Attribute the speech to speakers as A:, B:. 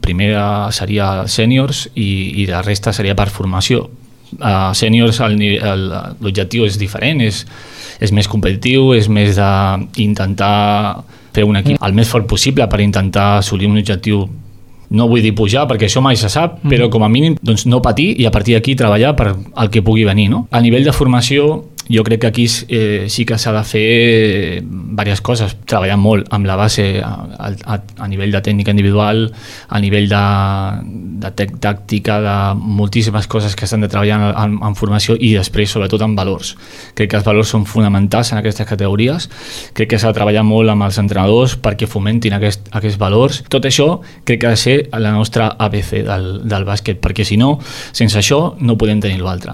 A: primer seria sèniors i la resta seria per formació. Sèniors l'objectiu és diferent, és més competitiu, és més d'intentar fer un equip el més fort possible per intentar assolir un objectiu. No vull dir pujar, perquè això mai se sap, però com a mínim doncs, no patir i a partir d'aquí treballar per el que pugui venir. No? A nivell de formació, jo crec que aquí sí que s'ha de fer diverses coses, treballar molt amb la base a nivell de tècnica individual, a nivell de tàctica, de moltíssimes coses que s'han de treballar en formació i després sobretot en valors. Crec que els valors són fonamentals en aquestes categories, crec que s'ha de treballar molt amb els entrenadors perquè fomentin aquests valors. Tot això crec que ha de ser la nostra ABC del bàsquet, perquè si no, sense això no podem tenir l'altre.